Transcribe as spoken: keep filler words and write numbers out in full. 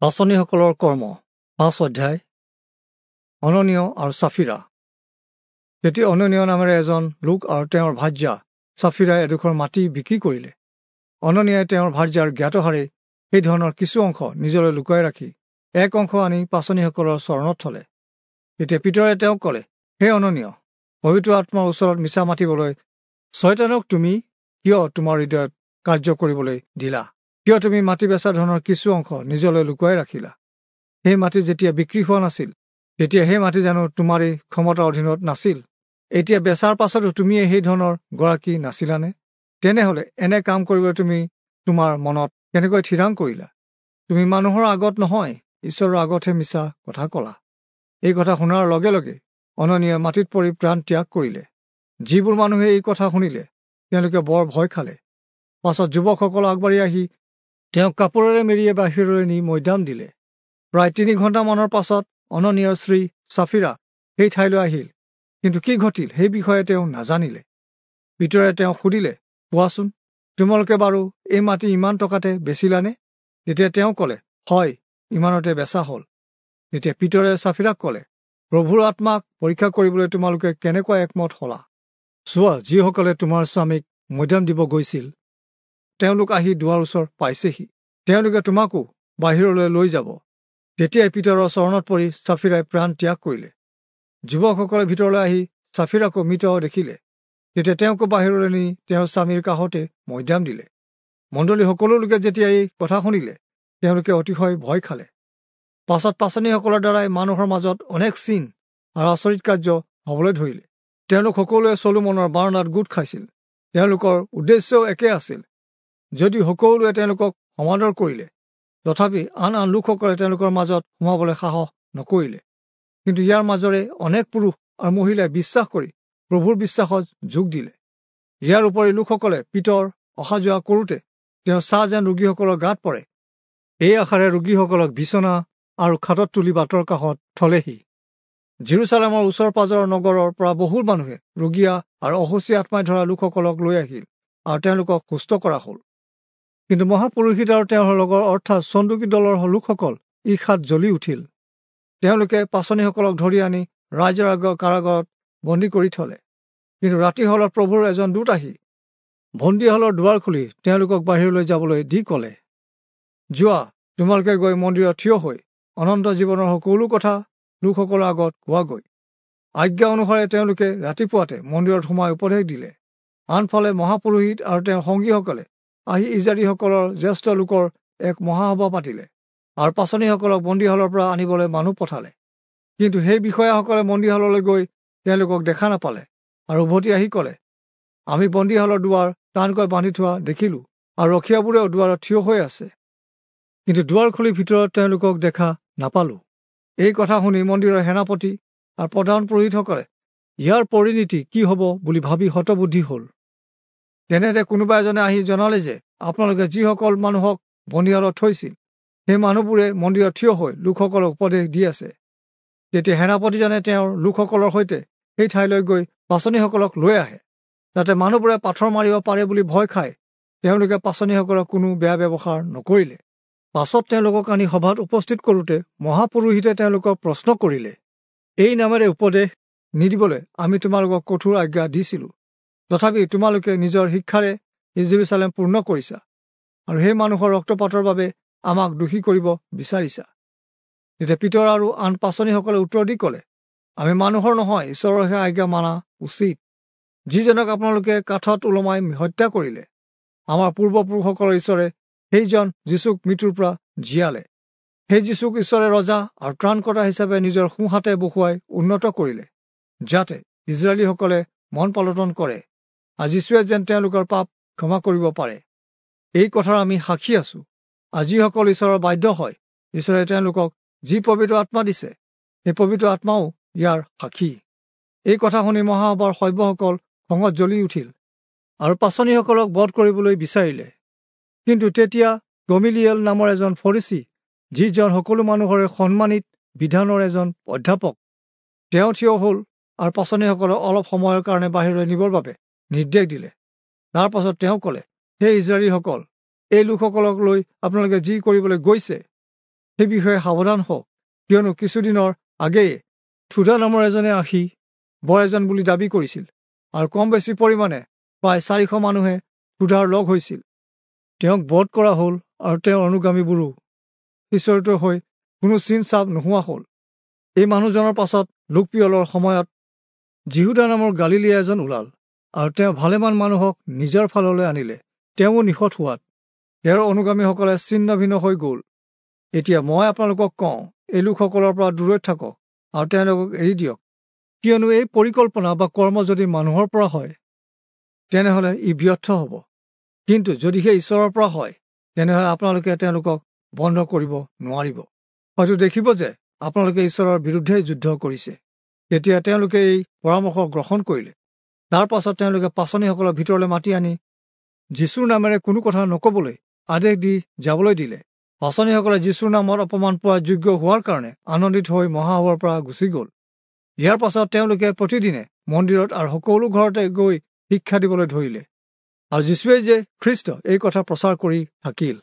পাঁচনিসকলৰ কৰ্ম পাঁচ অধ্যায়। অননীয় আৰু চাফিৰা। তেতিয়া অননীয় নামেৰে এজন লোক আৰু তেওঁৰ ভাৰ্যা চাফিৰাই এডোখৰ মাটি বিক্ৰী কৰিলে। অননীয়াই তেওঁৰ ভাৰ্যাৰ জ্ঞাতসাৰে সেই ধৰণৰ কিছু অংশ নিজলৈ লুকুৱাই ৰাখি এক অংশ আনি পাঁচনিসকলৰ চৰণত থলে। তেতিয়া পিতৰে তেওঁক ক'লে, হে অননীয়, পবিত্ৰ আত্মাৰ ওচৰত মিছা মাতিবলৈ ছয়তানক তুমি কিয় তোমাৰ হৃদয়ত কাৰ্য কৰিবলৈ দিলা? কিয় তুমি মাটি বেচা ধনৰ কিছু অংশ নিজলৈ লুকুৱাই ৰাখিলা? সেই মাটি যেতিয়া বিক্ৰী হোৱা নাছিল, তেতিয়া সেই মাটি জানো তোমাৰেই ক্ষমতাৰ অধীনত নাছিল? এতিয়া বেচাৰ পাছতো তুমিয়ে সেই ধনৰ গৰাকী নাছিলানে? তেনেহ'লে এনে কাম কৰিবলৈ তুমি তোমাৰ মনত কেনেকৈ থিৰাং কৰিলা? তুমি মানুহৰ আগত নহয়, ঈশ্বৰৰ আগতহে মিছা কথা ক'লা। এই কথা শুনাৰ লগে লগে অননীয়ে মাটিত পৰি প্ৰাণ ত্যাগ কৰিলে। যিবোৰ মানুহে এই কথা শুনিলে, তেওঁলোকে বৰ ভয় খালে। পাছত যুৱকসকল আগবাঢ়ি আহি তেওঁক কাপোৰেৰে মেৰিয়াই বাহিৰলৈ নি মৈদাম দিলে। প্ৰায় তিনি ঘণ্টামানৰ পাছত অননীয়ৰ স্ত্ৰী চাফিৰা সেই ঠাইলৈ আহিল, কিন্তু কি ঘটিল সেই বিষয়ে তেওঁ নাজানিলে। পিতৰে তেওঁক সুধিলে, কোৱাচোন, তোমালোকে বাৰু এই মাটি ইমান টকাতে বেচিলানে? তেতিয়া তেওঁ ক'লে, হয়, ইমানতে বেচা হ'ল। তেতিয়া পিতৰে চাফিৰাক ক'লে, প্ৰভুৰ আত্মাক পৰীক্ষা কৰিবলৈ তোমালোকে কেনেকুৱা একমত হলা? চোৱা, যিসকলে তোমাৰ স্বামীক মৈদাম দিব গৈছিল, তেওঁলোক আহি দুৱাৰ ওচৰ পাইছেহি। তেওঁলোকে তোমাকো বাহিৰলৈ লৈ যাব। তেতিয়াই পিতৰৰ চৰণত পৰি চাফিৰাই প্ৰাণ ত্যাগ কৰিলে। যুৱকসকলে ভিতৰলৈ আহি চাফিৰাকো মৃত দেখিলে। তেতিয়া তেওঁকো বাহিৰলৈ নি তেওঁৰ স্বামীৰ কাষতে মৈদাম দিলে। মণ্ডলী সকলো লোকে যেতিয়া এই কথা শুনিলে, তেওঁলোকে অতিশয় ভয় খালে। পাছত পাঁচনিসকলৰ দ্বাৰাই মানুহৰ মাজত অনেক চিন আৰু আচৰিত কাৰ্য হ'বলৈ ধৰিলে। তেওঁলোক সকলোৱে চলোমনৰ বাৰাণ্ডাত গোট খাইছিল। তেওঁলোকৰ উদ্দেশ্যও একে আছিল। যদিও সকলোৱে তেওঁলোকক সমাদৰ কৰিলে, তথাপি আন আন লোকসকলে তেওঁলোকৰ মাজত সোমাবলৈ সাহস নকৰিলে। কিন্তু ইয়াৰ মাজৰে অনেক পুৰুষ আৰু মহিলাই বিশ্বাস কৰি প্ৰভুৰ বিশ্বাসত যোগ দিলে। ইয়াৰ উপৰি লোকসকলে পিতৰ অহা যোৱা কৰোঁতে তেওঁ ছাঁ যেন ৰোগীসকলৰ গাত পৰে, এই আশাৰে ৰোগীসকলক বিচনা আৰু খাটত তুলি বাটৰ কাষত থলেহি। জেৰুচালেমৰ ওচৰ পাজৰৰ নগৰৰ পৰা বহুত মানুহে ৰোগীয়া আৰু অসুচী আত্মাই ধৰা লোকসকলক লৈ আহিল আৰু তেওঁলোকক সুস্থ কৰা হ'ল। কিন্তু মহাপুৰোহিত আৰু তেওঁৰ লগৰ অৰ্থাৎ চন্দুকী দলৰ লোকসকল ঈৰ্ষাত জ্বলি উঠিল। তেওঁলোকে পাঁচনিসকলক ধৰি আনি ৰাইজৰ আগৰ কাৰাগাৰত বন্দী কৰি থলে। কিন্তু ৰাতি হলত প্ৰভুৰ এজন দূত আহি বন্দীশালৰ দুৱাৰ খুলি তেওঁলোকক বাহিৰলৈ যাবলৈ দি ক'লে, যোৱা, তোমালোকে গৈ মন্দিৰত থিয় হৈ অনন্ত জীৱনৰ সকলো কথা লোকসকলৰ আগত কোৱাগৈ। আজ্ঞা অনুসাৰে তেওঁলোকে ৰাতিপুৱাতে মন্দিৰত সোমাই উপদেশ দিলে। আনফালে মহাপুৰোহিত আৰু তেওঁৰ সংগীসকলে আহি ইজৰাইলীসকলৰ জ্যেষ্ঠ লোকৰ এক মহাসভা পাতিলে আৰু পাঁচনিসকলক বন্দীশালৰ পৰা আনিবলৈ মানুহ পঠালে। কিন্তু সেই বিষয়াসকলে বন্দীশাললৈ গৈ তেওঁলোকক দেখা নাপালে আৰু উভতি আহি ক'লে, আমি বন্দীশালৰ দুৱাৰ টানকৈ বান্ধি থোৱা দেখিলোঁ আৰু ৰখীয়াবোৰেও দুৱাৰত থিয় হৈ আছে, কিন্তু দুৱাৰ খুলি ভিতৰত তেওঁলোকক দেখা নাপালোঁ। এই কথা শুনি মন্দিৰৰ সেনাপতি আৰু প্ৰধান পুৰোহিতসকলে ইয়াৰ পৰিণতি কি হ'ব বুলি ভাবি হতবুদ্ধি হ'ল। তেনেতে কোনোবা এজনে আহি জনালে যে আপোনালোকে যিসকল মানুহক বন্দীশালত থৈছিল, সেই মানুহবোৰে মন্দিৰত থিয় হৈ লোকসকলক উপদেশ দি আছে। তেতিয়া সেনাপতিজনে তেওঁৰ লোকসকলৰ সৈতে সেই ঠাইলৈ গৈ পাঁচনিসকলক লৈ আহে। যাতে মানুহবোৰে পাথৰ মাৰিব পাৰে বুলি ভয় খাই তেওঁলোকে পাঁচনিসকলক কোনো বেয়া ব্যৱহাৰ নকৰিলে। পাছত তেওঁলোকক আনি সভাত উপস্থিত কৰোঁতে মহাপুৰোহিতে তেওঁলোকক প্ৰশ্ন কৰিলে, এই নামেৰে উপদেশ নিদিবলৈ আমি তোমালোকক কঠোৰ আজ্ঞা দিছিলোঁ, তথাপি তোমালোকে নিজৰ শিক্ষাৰে জেৰুচালেম পূৰ্ণ কৰিছা আৰু সেই মানুহৰ ৰক্তপাতৰ বাবে আমাক দোষী কৰিব বিচাৰিছা। তেতিয়া পিতৰ আৰু আন পাঁচনিসকলে উত্তৰ দি ক'লে, আমি মানুহৰ নহয়, ঈশ্বৰৰহে আজ্ঞা মানা উচিত। যিজনক আপোনালোকে কাঠত ওলমাই হত্যা কৰিলে, আমাৰ পূৰ্বপুৰুষসকলৰ ঈশ্বৰে সেইজন যীচুক মৃত্যুৰ পৰা জীয়ালে। সেই যীচুক ঈশ্বৰে ৰজা আৰু ত্ৰাণকৰ্তা হিচাপে নিজৰ সোঁহাতে বহুৱাই উন্নত কৰিলে, যাতে ইজৰাইলীসকলে মন পালটন কৰে আৰু যীচুৱে যেন তেওঁলোকৰ পাপ ক্ষমা কৰিব পাৰে। এই কথাৰ আমি সাক্ষী আছোঁ। আৰু যিসকল ঈশ্বৰৰ বাধ্য হয়, ঈশ্বৰে তেওঁলোকক যি পবিত্ৰ আত্মা দিছে, সেই পবিত্ৰ আত্মাও ইয়াৰ সাক্ষী। এই কথা শুনি মহাসভাৰ সভ্যসকল খঙত জ্বলি উঠিল আৰু পাঁচনিসকলক বধ কৰিবলৈ বিচাৰিলে। কিন্তু তেতিয়া গমিলিয়েল নামৰ এজন ফৰীচী, যিজন সকলো মানুহৰে সন্মানিত বিধানৰ এজন অধ্যাপক, তেওঁ থিয় হ'ল আৰু পাঁচনিসকলক অলপ সময়ৰ কাৰণে বাহিৰলৈ নিবৰ বাবে নিৰ্দেশ দিলে। তাৰ পাছত তেওঁ ক'লে, হে ইজৰাইলীসকল, এই লোকসকলক লৈ আপোনালোকে যি কৰিবলৈ গৈছে সেই বিষয়ে সাৱধান হওক, কিয়নো কিছুদিনৰ আগেয়ে থুদা নামৰ এজনে আহি বৰ এজন বুলি দাবী কৰিছিল আৰু কম বেছি পৰিমাণে প্ৰায় চাৰিশ মানুহে থুদাৰ লগ হৈছিল। তেওঁক বধ কৰা হ'ল আৰু তেওঁৰ অনুগামীবোৰো সিঁচৰিত হৈ কোনো চিন চাপ নোহোৱা হ'ল। এই মানুহজনৰ পাছত লোকপিয়লৰ সময়ত যিহুদা নামৰ গালিলীয়া এজন ওলাল আৰু তেওঁ ভালেমান মানুহক নিজৰ ফাললৈ আনিলে। তেওঁও নিহত হোৱাত তেওঁৰ অনুগামীসকলে ছিন্ন ভিন্ন হৈ গ'ল। এতিয়া মই আপোনালোকক কওঁ, এই লোকসকলৰ পৰা দূৰৈত থাকক আৰু তেওঁলোকক এৰি দিয়ক, কিয়নো এই পৰিকল্পনা বা কৰ্ম যদি মানুহৰ পৰা হয় তেনেহ'লে ই ব্যৰ্থ হ'ব, কিন্তু যদিহে ঈশ্বৰৰ পৰা হয় তেনেহ'লে আপোনালোকে তেওঁলোকক বন্ধ কৰিব নোৱাৰিব। হয়তো দেখিব যে আপোনালোকে ঈশ্বৰৰ বিৰুদ্ধে যুদ্ধ কৰিছে। তেতিয়া তেওঁলোকে এই পৰামৰ্শ গ্ৰহণ কৰিলে। তাৰ পাছত তেওঁলোকে পাচনিসকলৰ ভিতৰলৈ মাতি আনি যীশুৰ নামেৰে কোনো কথা নক'বলৈ আদেশ দি যাবলৈ দিলে। পাচনিসকলে যীশুৰ নামত অপমান পোৱাৰ যোগ্য হোৱাৰ কাৰণে আনন্দিত হৈ মহাসভাৰ পৰা গুচি গ'ল। ইয়াৰ পাছত তেওঁলোকে প্ৰতিদিনে মন্দিৰত আৰু সকলো ঘৰতে গৈ শিক্ষা দিবলৈ ধৰিলে আৰু যীশুৱে যে খ্ৰীষ্ট এই কথা প্ৰচাৰ কৰি থাকিল।